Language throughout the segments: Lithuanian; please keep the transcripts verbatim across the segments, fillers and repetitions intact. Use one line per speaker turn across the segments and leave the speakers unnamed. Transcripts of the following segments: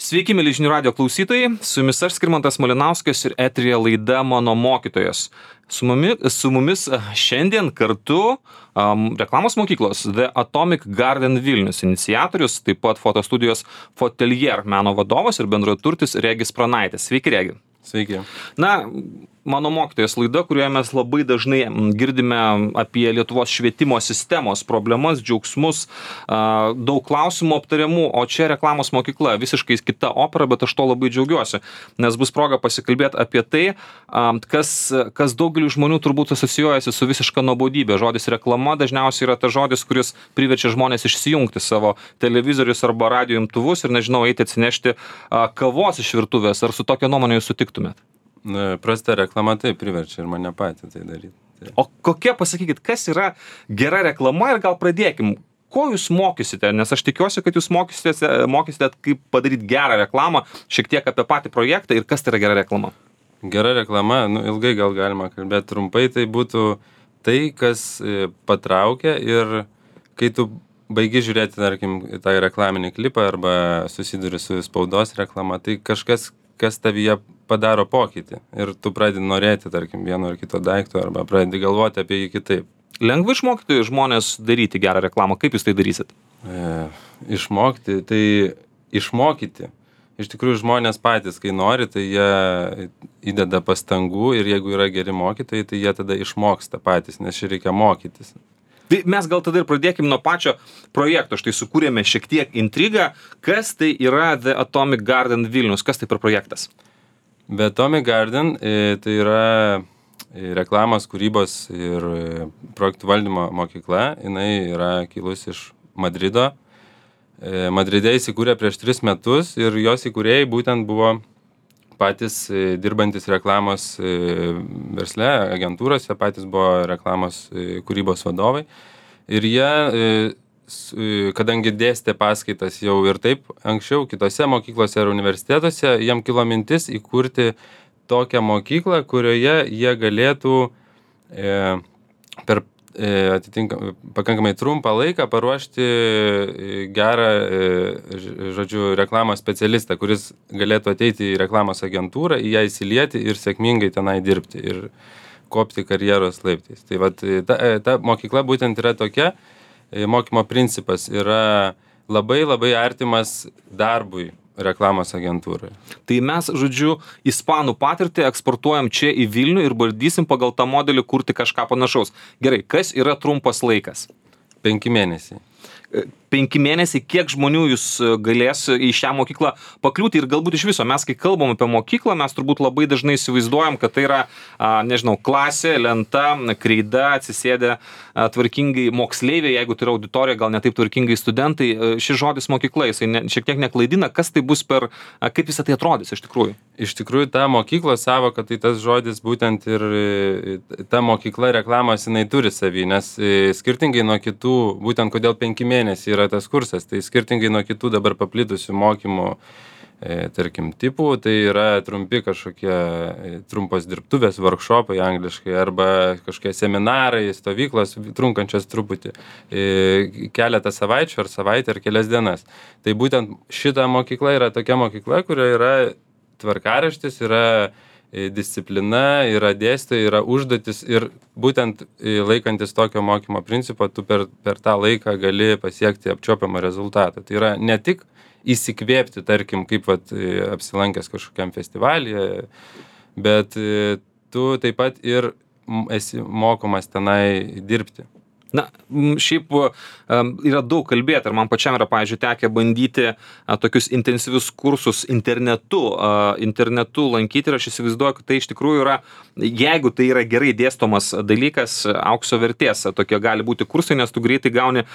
Sveiki, mėly žinių radijo klausytojai, su jumis aš Skirmantas Malinauskas ir eteryje laida Mano mokytojas. Su mumis, su mumis šiandien kartu um, reklamos mokyklos The Atomic Garden Vilnius iniciatorius, taip pat fotostudijos Fotelier meno vadovas ir bendraturtis Regis Pranaitis. Sveiki, Regi.
Sveiki.
Na, Mano mokytojas laida, kurioje mes labai dažnai girdime apie Lietuvos švietimo sistemos problemas, džiaugsmus, daug klausimų aptariamų, o čia reklamos mokykla, visiškai kita opera, bet aš to labai džiaugiuosi, nes bus proga pasikalbėti apie tai, kas, kas daugeliu žmonių turbūt asocijuojasi su visiška nuobodybė. Žodis reklama dažniausiai yra tas žodis, kuris priverčia žmonės išsijungti savo televizorius arba radijo imtuvus ir, nežinau, eiti atsinešti kavos iš virtuvės. Ar su tokia nuomonė jūs sutiktumėt?
Prasta reklama tai priverčia ir mane patį tai daryti. Tai.
O kokia, pasakykit, kas yra gera reklama ir gal pradėkim, ko jūs mokysite, nes aš tikiuosi, kad jūs mokysite, mokysite kaip padaryti gerą reklamą, šiek tiek apie patį projektą ir kas tai yra gera reklama.
Gera reklama, nu, ilgai gal galima kalbėti, trumpai tai būtų tai, kas patraukia ir kai tu baigi žiūrėti, tarkim, tą reklaminį klipą arba susiduri su spaudos reklama, tai kažkas, kas tavyje padaro pokytį ir tu pradedi norėti, tarkim, vieno ar kito daikto arba pradedi galvoti apie jį kitaip.
Lengva išmokti žmonės daryti gerą reklamą, kaip jūs tai darysit?
E, išmokti, tai išmokyti. Iš tikrųjų, žmonės patys, kai nori, tai jie įdeda pastangų ir jeigu yra geri mokytojai, tai jie tada išmoksta patys, nes čia reikia mokytis.
Tai mes gal tada ir pradėkim nuo pačio projekto. Štai sukūrėme šiek tiek intrigą. Kas tai yra The Atomic Garden Vilnius? Kas tai per projektas?
The Atomic Garden e, tai yra reklamos, kūrybos ir projektų valdymo mokykla. Jinai yra kilus iš Madrido. E, Madride įsikūrė prieš tris metus ir jos įkūrėjai būtent buvo patys dirbantis reklamos versle, agentūrose, patys buvo reklamos kūrybos vadovai. Ir jie, kadangi dėstė paskaitas jau ir taip anksčiau kitose mokyklose ar universitetuose, jiem kilo mintis įkurti tokią mokyklą, kurioje jie galėtų per atitinkamai pakankamai trumpą laiką paruošti gerą, žodžiu, reklamos specialistą, kuris galėtų ateiti į reklamos agentūrą, į ją įsilieti ir sėkmingai tenai dirbti ir kopti karjeros laiptais. Tai vat, ta, ta mokykla būtent yra tokia, mokymo principas yra labai labai artimas darbui reklamos agentūrai.
Tai mes, žodžiu, ispanų patirtį eksportuojam čia į Vilnių ir bandysim pagal tą modelį kurti kažką panašaus. Gerai, kas yra trumpas laikas?
Penki mėnesiai.
Penki mėnesiai, kiek žmonių jūs galės į šią mokyklą pakliūti ir galbūt iš viso. Mes, kai kalbam apie mokyklą, mes turbūt labai dažnai įsivaizduojam, kad tai yra, a, nežinau, klasė, lenta, kreida, atsisėdę a, tvarkingai moksleiviai, jeigu tai yra auditorija, gal ne taip tvarkingai studentai. Šis žodis mokykla, jisai ne, šiek tiek neklaidina, kas tai bus per, a, kaip visą tai atrodys iš tikrųjų.
Iš tikrųjų, ta mokyklos savoka, tai tas žodis būtent ir ta mokykla reklamos jinai turi savį, nes skirtingai nuo kitų, būtent kodėl penki mėnesiai yra tas kursas, tai skirtingai nuo kitų dabar paplitusių mokymų, e, tarkim, tipų, tai yra trumpi kažkokie e, trumpos dirbtuvės, workshopai angliškai, arba kažkokie seminarai, stovyklos, trunkančios truputį, e, keletą savaičių ar savaitę ar kelias dienas. Tai būtent šita mokykla yra tokia mokykla, kurioje yra tvarkaraštis, yra disciplina, yra dėstytojai, yra užduotis ir būtent laikantis tokio mokymo principo, tu per, per tą laiką gali pasiekti apčiuopiamą rezultatą. Tai yra ne tik įsikvėpti, tarkim, kaip vat, apsilankęs kažkokiam festivalyje, bet tu taip pat ir esi mokomas tenai dirbti.
Na, šiaip yra daug kalbėti, ir man pačiam yra, pavyzdžiui, tekę bandyti a, tokius intensyvius kursus internetu, a, internetu lankyti ir aš įsivaizduoju, kad tai iš tikrųjų yra, jeigu tai yra gerai dėstomas dalykas, aukso vertės, tokie gali būti kursai, nes tu greitai gauni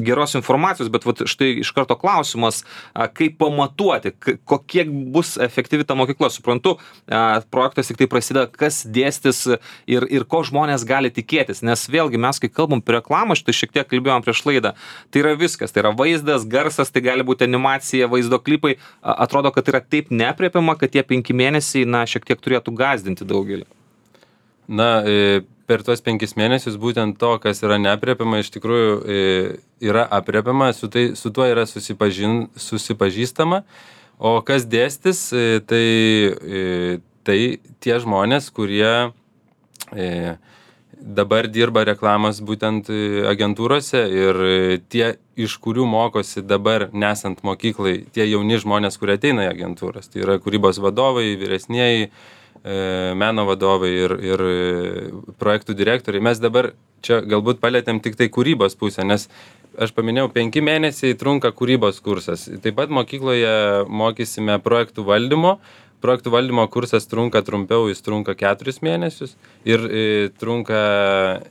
geros informacijos, bet vat, štai iš karto klausimas, a, kaip pamatuoti, kokie bus efektyvi ta mokykla. Suprantu, a, projektas tik tai prasideda, kas dėstis ir, ir ko žmonės gali tikėtis, nes vėlgi mes, kai kalbam prie reklamą, štai šiek tiek kalbėjom prieš laidą. Tai yra viskas, tai yra vaizdas, garsas, tai gali būti animacija, vaizdo klipai. Atrodo, kad tai yra taip neaprėpiama, kad tie penki mėnesiai, na, šiek tiek turėtų gąsdinti daugelį.
Na, per tuos penkis mėnesius būtent to, kas yra neaprėpiama, iš tikrųjų yra aprėpiama, su, tai, su tuo yra susipažin, susipažįstama, O kas dėstys, tai, tai tie žmonės, kurie dabar dirba reklamos būtent agentūrose ir tie, iš kurių mokosi dabar nesant mokyklai, tie jauni žmonės, kurie ateina į agentūras. Tai yra kūrybos vadovai, vyresnieji, meno vadovai ir, ir projektų direktoriai. Mes dabar čia galbūt palėtėm tik tai kūrybos pusę, nes aš paminėjau, penki mėnesiai trunka kūrybos kursas. Taip pat mokykloje mokysime projektų valdymo. Projektų valdymo kursas trunka trumpiau, jis trunka keturis mėnesius ir e, trunka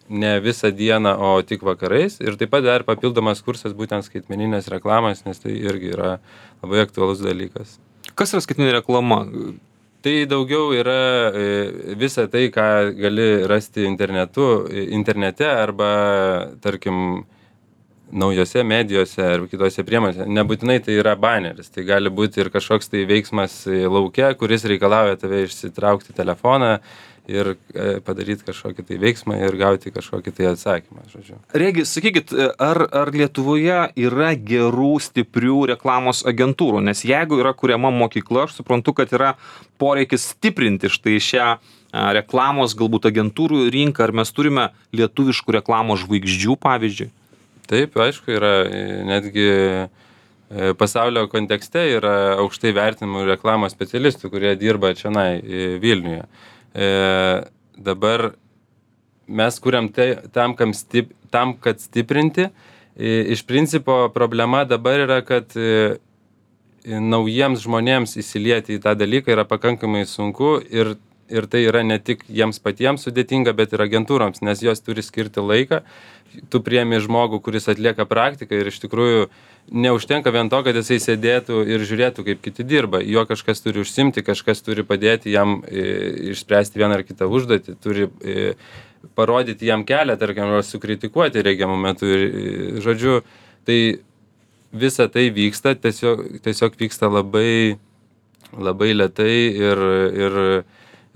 ne visą dieną, o tik vakarais. Ir taip pat dar papildomas kursas būtent skaitmeninės reklamos, nes tai irgi yra labai aktualus dalykas.
Kas yra skaitmeninė reklama?
Tai daugiau yra visa tai, ką gali rasti internetu, internete arba, tarkim, naujose medijose ar kitose priemonėse. Nebūtinai tai yra baneris, tai gali būti ir kažkoks tai veiksmas lauke, kuris reikalauja tave išsitraukti telefoną ir padaryti kažkokį tai veiksmą ir gauti kažkokį tai atsakymą, žodžiu.
Regis, sakykit, ar, ar Lietuvoje yra gerų, stiprių reklamos agentūrų? Nes jeigu yra kuriama mokykla, aš suprantu, kad yra poreikis stiprinti štai šią reklamos galbūt agentūrų rinką. Ar mes turime lietuviškų reklamos žvaigždžių, pavyzdžiui?
Taip, aišku, yra netgi pasaulio kontekste yra aukštai vertinimų reklamos specialistų, kurie dirba čionai Vilniuje. E, dabar mes kuriam tai, tam, stip, tam, kad stiprinti. E, iš principo problema dabar yra, kad e, naujiems žmonėms įsilieti į tą dalyką yra pakankamai sunku ir, ir tai yra ne tik jiems patiems sudėtinga, bet ir agentūroms, nes jos turi skirti laiką. Tu priemi žmogų, kuris atlieka praktiką ir iš tikrųjų neužtenka vien to, kad jisai sėdėtų ir žiūrėtų, kaip kiti dirba. Jo kažkas turi užsimti, kažkas turi padėti jam e, išspręsti vieną ar kitą užduotį, turi e, parodyti jam kelią, tarkim, ar sukritikuoti reikiamų metų. Ir, e, žodžiu, tai visa tai vyksta, tiesiog, tiesiog vyksta labai, labai lėtai ir, ir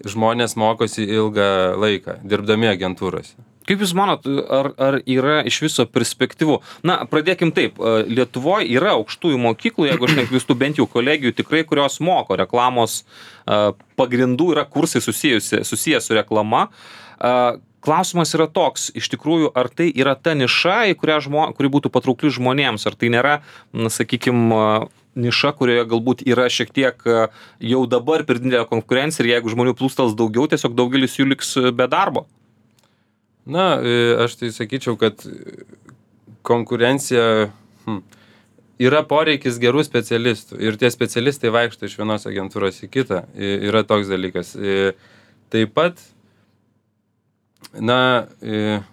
žmonės mokosi ilgą laiką, dirbdami agentūrose.
Kaip Jūs manot, ar, ar yra iš viso perspektyvų? Na, pradėkim taip. Lietuvoje yra aukštųjų mokyklų, jeigu aš neklystu, bent jau kolegijų tikrai, kurios moko reklamos pagrindų, yra kursai susijusi, susiję su reklama. Klausimas yra toks, iš tikrųjų, ar tai yra ta niša, į kurią žmo, kuri būtų patraukli žmonėms, ar tai nėra, na, sakykime, niša, kurioje galbūt yra šiek tiek jau dabar per didelė konkurencija ir jeigu žmonių plūstels daugiau, tiesiog daugelis jų liks be darbo.
Na, aš tai sakyčiau, kad konkurencija, hm, yra poreikis gerų specialistų ir tie specialistai vaikšto iš vienos agentūros į kitą, yra toks dalykas. Taip pat, na,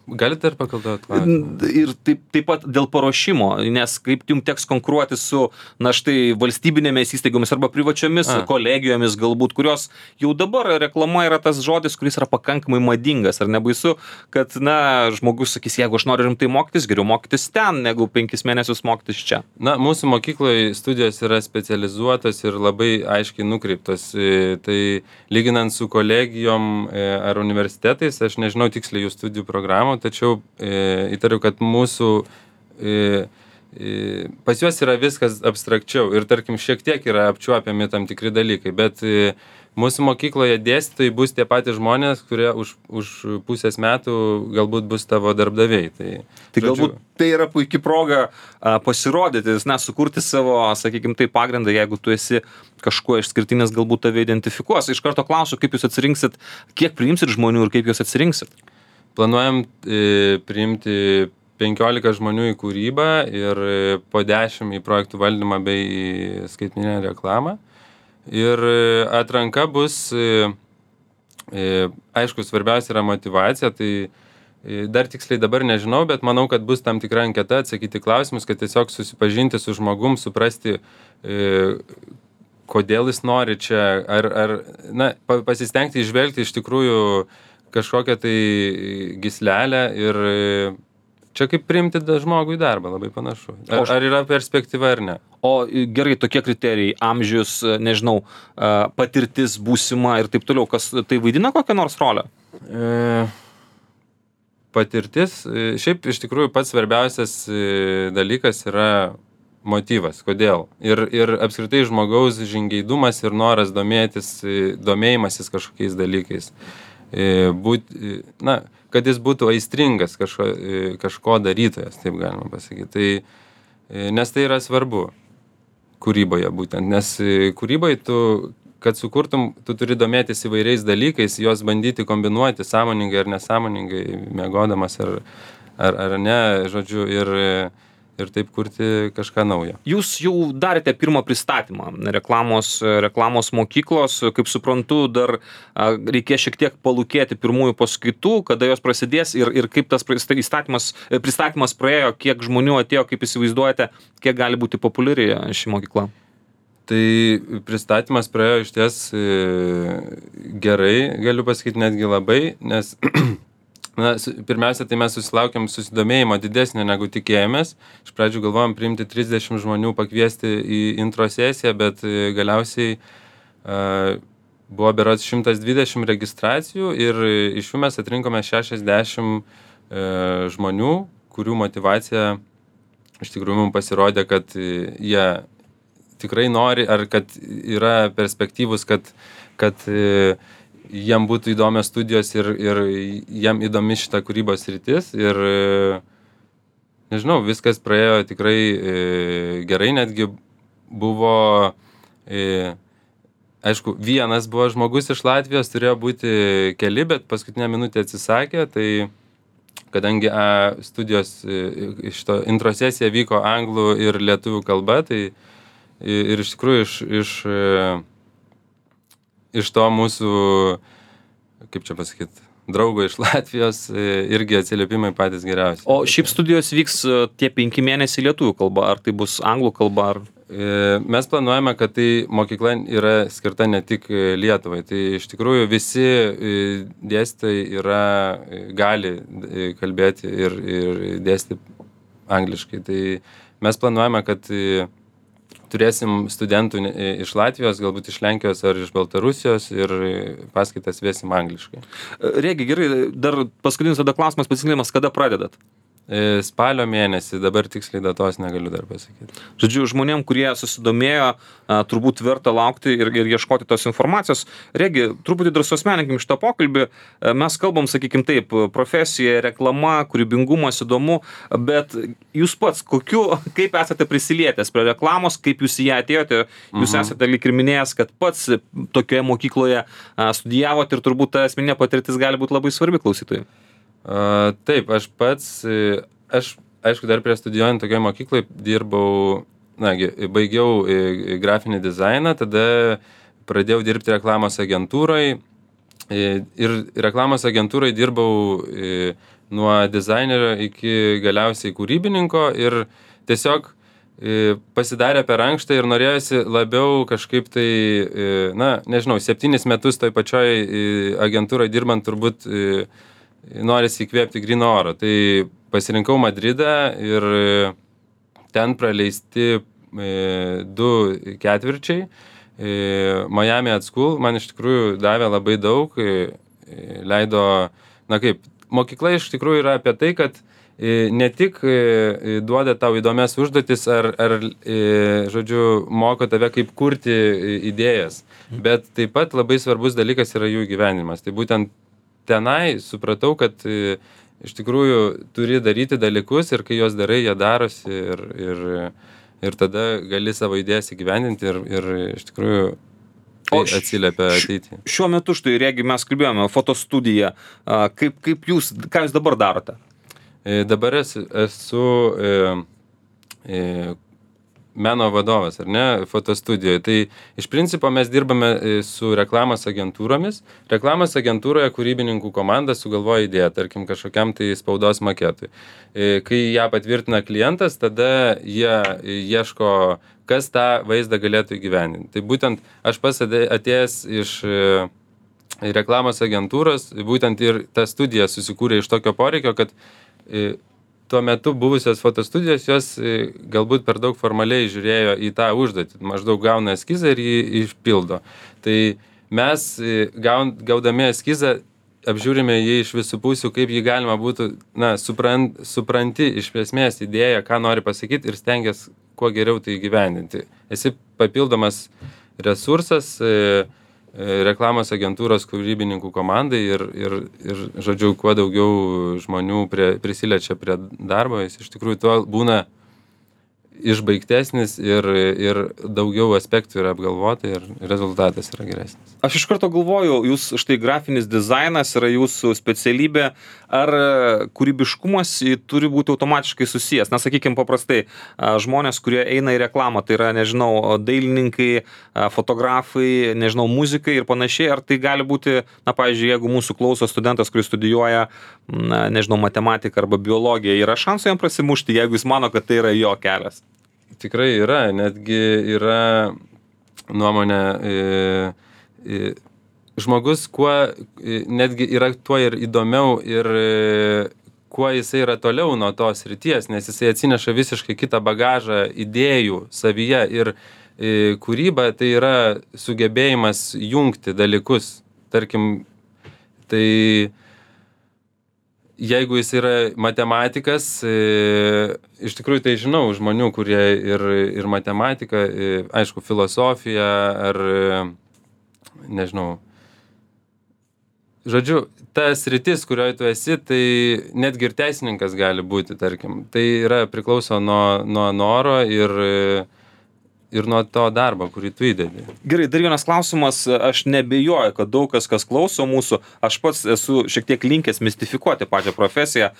galite ir pakalbėti klausimą?
Ir taip, taip pat dėl paruošimo, nes kaip jums teks konkuruoti su, na štai, valstybinėmis įstaigomis arba privačiomis A. kolegijomis galbūt, kurios jau dabar reklama yra tas žodis, kuris yra pakankamai madingas. Ar nebaisu, kad, na, žmogus sakys, jeigu aš noriu rimtai mokytis, geriau mokytis ten, negu penkis mėnesius mokytis čia.
Na, mūsų mokykloje studijos yra specializuotos ir labai aiškiai nukreiptos. Tai lyginant su kolegijom ar universitetais, aš nežinau tiksliai jų studijų programų, tačiau e, įtariu, kad mūsų e, e, pas juos yra viskas abstrakčiau ir tarkim šiek tiek yra apčiuopiami tam tikri dalykai, bet e, mūsų mokykloje dėstytojai bus tie patys žmonės, kurie už, už pusės metų galbūt bus tavo darbdaviai. Tai,
tai galbūt žodžiu, tai yra puikia proga a, pasirodyti, na, sukurti savo, sakykime, tai pagrindą, jeigu tu esi kažkuo išskirtinis, galbūt tave identifikuos. Iš karto klausiu, kaip jūs atsirinksit, kiek priimsit žmonių ir kaip jūs atsirinksit?
Planuojam e, priimti penkiolika žmonių į kūrybą ir e, po dešimt į projektų valdymą bei į skaitmeninę reklamą. Ir e, atranka bus, e, e, aišku, svarbiausia yra motyvacija, tai e, dar tiksliai dabar nežinau, bet manau, kad bus tam tikra anketa atsakyti klausimus, kad tiesiog susipažinti su žmogum, suprasti, e, kodėl jis nori čia, ar, ar na, pasistengti išvelgti iš tikrųjų kažkokią tai gyslelę ir čia kaip priimti žmogų į darbą, labai panašu. Ar, ar yra perspektyva ar ne?
O gerai, tokie kriterijai, amžius, nežinau, patirtis būsima ir taip toliau, kas tai vaidina kokią nors rolę?
E, patirtis, šiaip iš tikrųjų pats svarbiausias dalykas yra motyvas, kodėl. Ir, ir apskritai žmogaus žingeidumas ir noras domėtis, domėjimasis kažkokiais dalykais. Būt, na, kad jis būtų aistringas kažko, kažko darytojas, taip galima pasakyti. Tai, nes tai yra svarbu kūryboje būtent, nes kūryboje tu, kad sukurtum, tu turi domėtis įvairiais dalykais, juos bandyti kombinuoti sąmoningai ar nesąmoningai, miegodamas ar, ar, ar ne, žodžiu, ir, ir taip kurti kažką naujo.
Jūs jau darėte pirmą pristatymą reklamos, reklamos mokyklos, kaip suprantu, dar reikės šiek tiek palūkėti pirmųjų paskaitų, kada jos prasidės ir, ir kaip tas pristatymas, pristatymas praėjo, kiek žmonių atėjo, kaip įsivaizduojate, kiek gali būti populiari ši mokykla.
Tai pristatymas praėjo iš ties gerai, galiu pasakyti netgi labai, nes na, pirmiausia, tai mes susilaukėm susidomėjimo didesnio negu tikėjomės. Iš pradžių galvojom priimti trisdešimt žmonių, pakviesti į intro sesiją, bet galiausiai uh, buvo berods šimtas dvidešimt registracijų ir iš jų mes atrinkome šešiasdešimt uh, žmonių, kurių motyvacija iš tikrųjų mums pasirodė, kad jie tikrai nori, ar kad yra perspektyvus, kad, kad e, jiem būtų įdomios studijos ir, ir jiem įdomi šita kūrybos rytis. Ir, e, nežinau, viskas praėjo tikrai e, gerai, netgi buvo, e, aišku, vienas buvo žmogus iš Latvijos, turėjo būti keli, bet paskutinę minutę atsisakė, tai kadangi a, studijos e, šito intro sesija vyko anglų ir lietuvių kalba, tai ir iš tikrųjų iš, iš, iš to mūsų, kaip čia pasakyti, draugo iš Latvijos irgi atsiliepimai patys geriausi.
O šiaip studijos vyks tie penki mėnesiai lietuvių kalba, ar tai bus anglų kalba? Ar...
Mes planuojame, kad tai mokykla yra skirta ne tik Lietuvai. Tai iš tikrųjų visi dėstytojai yra, gali kalbėti ir, ir dėstyti angliškai. Tai mes planuojame, kad turėsim studentų iš Latvijos, galbūt iš Lenkijos ar iš Baltarusijos ir paskaitas vėsim angliškai.
Regi, gerai, dar paskutinis tada klausimas, pasiklimas, kada pradedat?
Spalio mėnesį, dabar tiksliai datos negaliu dar pasakyti.
Žodžiu, žmonėm, kurie susidomėjo, turbūt verta laukti ir, ir ieškoti tos informacijos. Regi, truputį dar suasmeninkim šitą pokalbį. Mes kalbam, sakykim taip, profesija, reklama, kūrybingumas įdomu, bet jūs pats, kokiu, kaip esate prisilietęs prie reklamos, kaip jūs į ją atėjote, jūs mhm. esate lyg ir minėjęs, kad pats tokioje mokykloje studijavote ir turbūt ta asmeninė patirtis gali būti labai svarbi klausytojui.
Uh, taip, aš pats, aš, aišku, dar prie studijuojant tokioje mokykloje dirbau, na, baigiau grafinį dizainą, tada pradėjau dirbti reklamos agentūroje ir reklamos agentūroje dirbau nuo dizainerio iki galiausiai kūrybininko ir tiesiog pasidarė per ankštą ir norėjosi labiau kažkaip tai, na, nežinau, septynis metus toj pačioj agentūroje dirbant turbūt norisi įkvėpti gryno oro. Tai pasirinkau Madridą ir ten praleisti du ketvirčiai. Miami at School man iš tikrųjų davė labai daug, leido, na kaip, mokykla iš tikrųjų yra apie tai, kad ne tik duoda tau įdomias užduotis ar, ar, žodžiu, moko tave kaip kurti idėjas, bet taip pat labai svarbus dalykas yra jų gyvenimas. Tai būtent tenai supratau, kad iš tikrųjų turi daryti dalykus ir kai juos darai, jie darosi ir, ir, ir tada gali savo idėjas įgyvendinti ir, ir iš tikrųjų tai atsiliepia ateitį.
Šiuo metu, štai, Regi, mes kalbėjome, fotostudiją. Kaip, kaip jūs, ką jūs dabar darote?
Dabar esu, esu e, e, meno vadovas, ar ne, fotostudijoje. Tai iš principo mes dirbame su reklamos agentūromis. Reklamos agentūroje kūrybininkų komanda sugalvoja idėją, tarkim, kažkokiam tai spaudos maketui. Kai ją patvirtina klientas, tada jie ieško, kas tą vaizdą galėtų įgyvendinti. Tai būtent aš pats atėjęs iš reklamos agentūros, būtent ir ta studija susikūrė iš tokio poreikio, kad tuo metu buvusios fotostudijos, jos galbūt per daug formaliai žiūrėjo į tą užduotį. Maždaug gauna eskizą ir jį išpildo. Tai mes gaudami eskizą apžiūrime jį iš visų pusių, kaip jį galima būtų, na, suprant, supranti iš esmės idėją, ką nori pasakyti ir stengiasi kuo geriau tai įgyvendinti. Esi papildomas resursas e, e, reklamos agentūros kūrybininkų komandai ir, ir, ir, žodžiu, kuo daugiau žmonių prie, prisiliečia prie darbo, jis iš tikrųjų tuo būna išbaigtesnis ir, ir daugiau aspektų yra apgalvota ir rezultatas yra geresnis.
Aš iš karto galvoju, jūs štai grafinis dizainas yra jūsų specialybė, ar kūrybiškumas turi būti automatiškai susijęs? Na, sakykime, paprastai žmonės, kurie eina į reklamą, tai yra, nežinau, dailininkai, fotografai, nežinau, muzikai ir panašiai, ar tai gali būti, na, pavyzdžiui, jeigu mūsų klauso studentas, kuris studijuoja, na, nežinau, matematiką arba biologiją, yra šansų jam prasimušti, jeigu jis mano, kad tai yra jo kelias?
Tikrai yra, netgi yra nuomonė, e, e, žmogus kuo, e, netgi yra tuo ir įdomiau ir e, kuo jisai yra toliau nuo tos srities, nes jisai atsineša visiškai kitą bagažą idėjų savyje ir e, kūryba tai yra sugebėjimas jungti dalykus, tarkim, tai jeigu jis yra matematikas, e, iš tikrųjų tai žinau žmonių, kurie ir, ir matematika, e, aišku, filosofija ar, e, nežinau, žodžiu, ta sritis, kurioje tu esi, tai netgi ir teisininkas gali būti, tarkim. Tai yra priklauso nuo, nuo noro ir, ir nuo to darbo, kurį tu įdedi.
Gerai, dar vienas klausimas, aš nebejoju, kad daug kas, kas klauso mūsų, aš pats esu šiek tiek linkęs mistifikuoti pačią profesiją,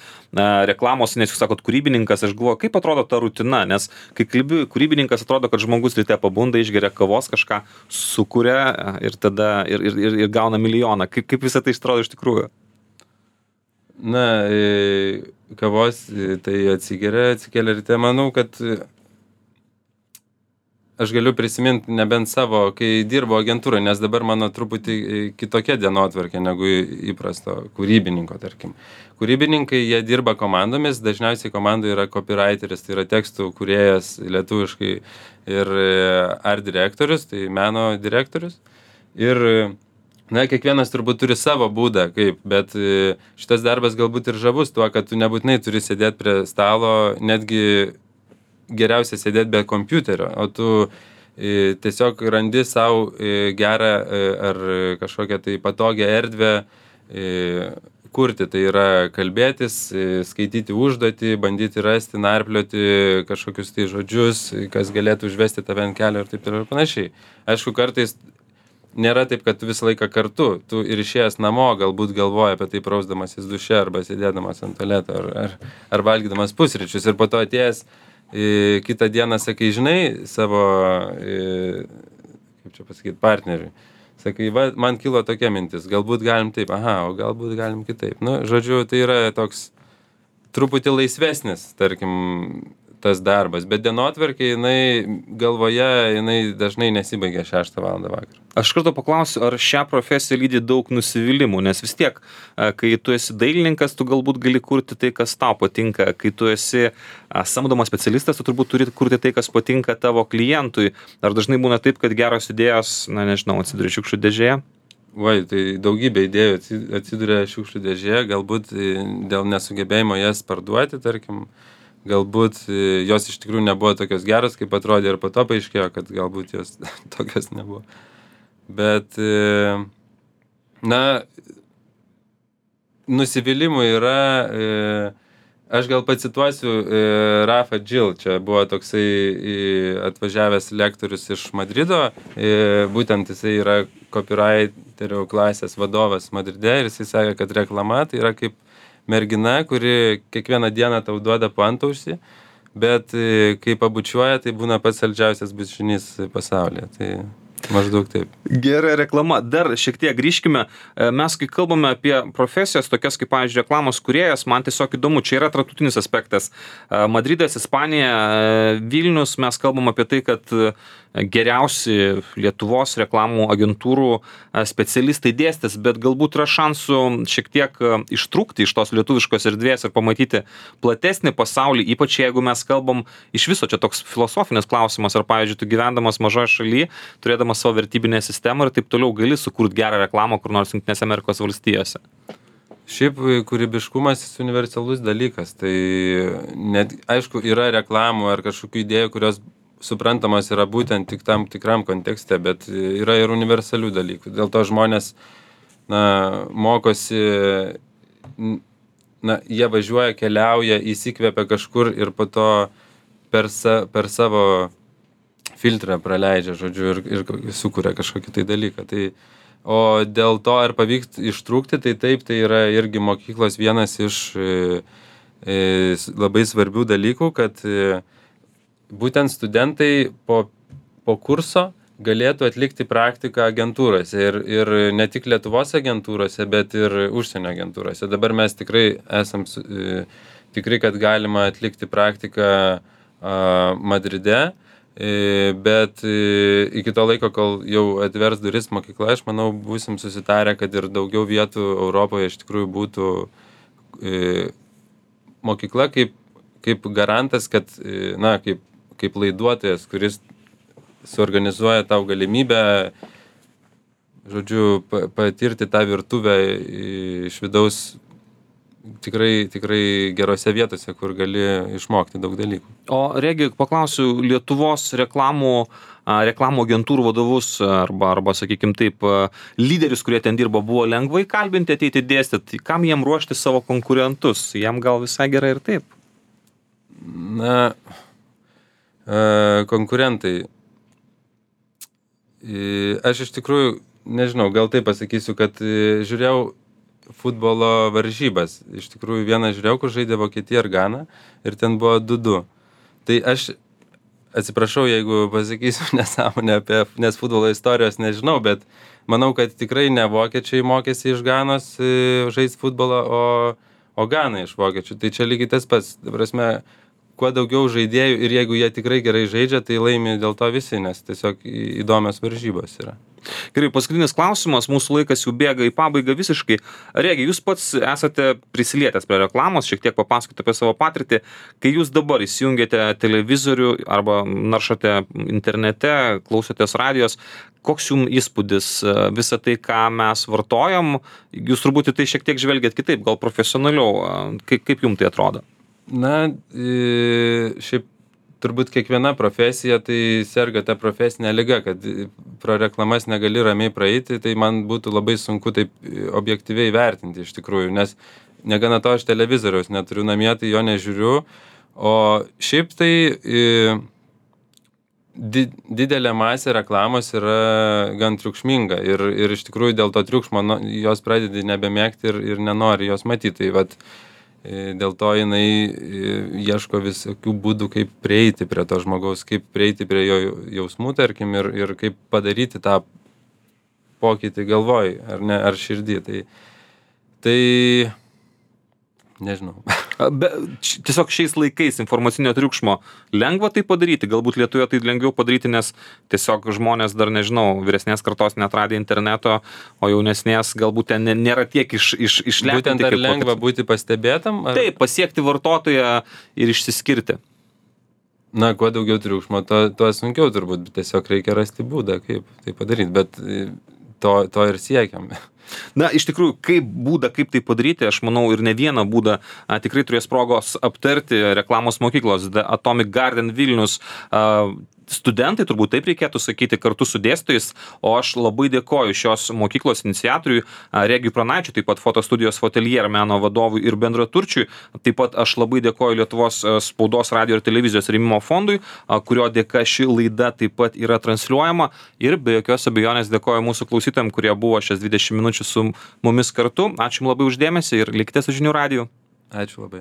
reklamos, nes jūs sakot kūrybininkas, aš galvoju, kaip atrodo ta rutina, nes kai kalbi kūrybininkas, atrodo, kad žmogus ryte pabunda, išgeria kavos, kažką sukuria ir tada ir, ir, ir, ir gauna milijoną. Kaip, kaip visą tai atrodo iš tikrųjų?
Na, kavos tai atsigeria, atsikėlė ryte, manau, kad aš galiu prisiminti nebent savo, kai dirbo agentūroje, nes dabar mano truputį kitokia dienotvarkė negu įprasto kūrybininko, tarkim. Kūrybininkai, jie dirba komandomis, dažniausiai komandoje yra copywriteris, tai yra tekstų kūrėjas lietuviškai ir art direktorius, tai meno direktorius. Ir, na, kiekvienas turbūt turi savo būdą, kaip, bet šitas darbas galbūt ir žavus tuo, kad tu nebūtinai turi sėdėti prie stalo, netgi geriausia sėdėti be kompiuterio, o tu e, tiesiog randi savo e, gerą e, ar kažkokią tai patogią erdvę e, kurti. Tai yra kalbėtis, e, skaityti užduotį, bandyti rasti, narplioti kažkokius tai žodžius, kas galėtų užvesti tave ant kelio ir taip ir panašiai. Aišku, kartais nėra taip, kad tu visą laiką kartu, tu ir išėjęs namo galbūt galvoji apie tai prausdamasis duše arba sėdėdamas ant tualeto ar, ar, ar valgydamas pusryčius ir po to atėjęs į kitą dieną sakai, žinai, savo, į, kaip čia pasakyti, partneriui. Sakai, va, man kilo tokia mintis, galbūt galim taip, aha, o galbūt galim kitaip. Nu, žodžiu, tai yra toks truputį laisvesnis, tarkim, tas darbas, bet dienotvarkė, jinai galvoje, jinai dažnai nesibaigia šeštą valandą vakarą.
Aš kartu paklausiu, ar šią profesiją lydi daug nusivylimų, nes vis tiek, kai tu esi dailininkas, tu galbūt gali kurti tai, kas tau patinka, kai tu esi samdomas specialistas, tu turbūt turi kurti tai, kas patinka tavo klientui. Ar dažnai būna taip, kad geros idėjos, na nežinau, atsiduria šiukšlių dėžėje?
Vai, tai daugybė idėjų atsiduria šiukšlių dėžėje, galbūt dėl nesugebėjimo jas parduoti, tarkim, galbūt jos iš tikrųjų nebuvo tokios geros, kaip atrodė ir po to paaiškėjo, kad galbūt jos tokios nebuvo. Bet, na, nusivylimų yra, aš gal pacituosiu Rafa Gil, čia buvo toksai atvažiavęs lektorius iš Madrido, būtent jisai yra copywriterio klasės vadovas Madride ir jisai sakė, kad reklama tai yra kaip mergina, kuri kiekvieną dieną tau duoda po antaušį, bet kai pabučiuoja, tai būna pats saldžiausias bučinys pasaulyje. Tai maždaug taip.
Gera reklama. Dar šiek tiek grįžkime. Mes, kai kalbame apie profesijas, tokias kaip, pavyzdžiui, reklamos kūrėjas, man tiesiog įdomu, čia yra tarptautinis aspektas. Madridas, Ispanija, Vilnius, mes kalbam apie tai, kad geriausi Lietuvos reklamų agentūrų specialistai dėstys, bet galbūt yra šansų šiek tiek ištrūkti iš tos lietuviškos erdvės ir pamatyti platesnį pasaulį, ypač jeigu mes kalbam iš viso, čia toks filosofinis klausimas, ar, pavyzdžiui, tu gyvendamas mažoje šalyje, turėdamas savo vertybinę sistemą ir taip toliau gali sukurti gerą reklamą kur nors Jungtinėse Amerikos valstijose.
Šiaip kūrybiškumas universalus dalykas, tai net, aišku, yra reklamų ar kažkokių idėjų, kurios suprantamas yra būtent tik tam tikram kontekste, bet yra ir universalių dalykų. Dėl to žmonės, na, mokosi, na, jie važiuoja, keliauja, įsikvepia kažkur ir po to per, sa, per savo filtrą praleidžia, žodžiu, ir, ir sukuria kažkokį tai dalyką. Tai, o dėl to, ar pavyks ištrūkti, tai taip, tai yra irgi mokyklos vienas iš e, e, labai svarbių dalykų, kad e, būtent studentai po, po kurso galėtų atlikti praktiką agentūrose ir, ir ne tik Lietuvos agentūrose, bet ir užsienio agentūrose. Dabar mes tikrai esam e, tikri, kad galima atlikti praktiką a, Madride, e, bet e, iki to laiko, kol jau atvers duris mokykla, aš manau, būsim susitarę, kad ir daugiau vietų Europoje iš tikrųjų būtų e, mokykla kaip, kaip garantas, kad, e, na, kaip kaip laiduotojas, kuris suorganizuoja tau galimybę, žodžiu, patirti tą virtuvę iš vidaus tikrai, tikrai gerose vietose, kur gali išmokti daug dalykų.
O Regi, paklausiu, Lietuvos reklamų, reklamų agentūrų vadovus arba, arba sakykim taip, lyderius, kurie ten dirbo, buvo lengvai kalbinti, ateiti dėstyti. Kam jiem ruošti savo konkurentus? Jiem gal visai gerai ir taip?
Na, konkurentai. Aš iš tikrųjų, nežinau, gal taip pasakysiu, kad žiūrėjau futbolo varžybas. Iš tikrųjų, vieną žiūrėjau, kur žaidė Vokietija ir Gana ir ten buvo du du. Tai aš atsiprašau, jeigu pasakysiu nesąmonę apie, nes futbolo istorijos nežinau, bet manau, kad tikrai ne vokiečiai mokėsi iš Ganos žaisti futbolą, o, o Gana iš vokiečių. Tai čia lygiai tas pats. Ta prasme, kuo daugiau žaidėjų ir jeigu jie tikrai gerai žaidžia, tai laimi dėl to visi, nes tiesiog įdomios varžybos yra.
Gerai, paskutinis klausimas, mūsų laikas jau bėga į pabaigą visiškai. Regi, jūs pats esate prisilietęs prie reklamos, šiek tiek papasakoti apie savo patirtį. Kai jūs dabar įsijungiate televizorių arba naršote internete, klausotės radijos, koks jums įspūdis visą tai, ką mes vartojam? Jūs turbūt į tai šiek tiek žvelgiat kitaip, gal profesionaliau. Kaip, kaip jums tai atrodo?
Na, šiaip turbūt kiekviena profesija tai serga ta profesinė liga, kad pro reklamas negali ramiai praeiti, tai man būtų labai sunku taip objektyviai vertinti iš tikrųjų, nes negana to aš televizoriaus neturiu namie, tai jo nežiūriu, o šiaip tai di, didelė masė reklamos yra gan triukšminga ir, ir iš tikrųjų dėl to triukšmo no, jos pradedi nebemėgti ir, ir nenori jos matyti. Tai vat, dėl to jinai ieško visokių būdų, kaip prieiti prie to žmogaus, kaip prieiti prie jo jausmų, tarkim, ir, ir kaip padaryti tą pokytį galvoj, ar ne, ar širdį. Tai, tai nežinau.
Be, tiesiog šiais laikais informacinio triukšmo lengva tai padaryti, galbūt Lietuvoje tai lengviau padaryti, nes tiesiog žmonės dar, nežinau, vyresnės kartos netradė interneto, o jaunesnės galbūt ten nėra tiek iš, iš, išlepinti.
Būtent ar lengva kaip... būti pastebėtam? Ar...
Taip, pasiekti vartotoją ir išsiskirti.
Na, kuo daugiau triukšmo, to, to sunkiau turbūt, tiesiog reikia rasti būdą, kaip tai padaryti, bet to, to ir siekiam.
Na, iš tikrųjų, kaip būdą, kaip tai padaryti, aš manau ir ne vieną būdą a, tikrai turės progos aptarti reklamos mokyklos The Atomic Garden Vilnius a, studentai, turbūt taip reikėtų sakyti, kartu su dėstytojais, o aš labai dėkoju šios mokyklos iniciatoriui Regiui Pranaičiui, taip pat fotostudijos Fotelier meno vadovui ir bendraturčiui, taip pat aš labai dėkoju Lietuvos spaudos, radio ir televizijos rėmimo fondui, kurio dėka ši laida taip pat yra transliuojama, ir be jokios abejonės dėkoju mūsų klausytojams, kurie buvo šias dvidešimt minučių su mumis kartu. Ačiū jums labai už dėmesį ir likite su Žinių radiju.
Ačiū labai.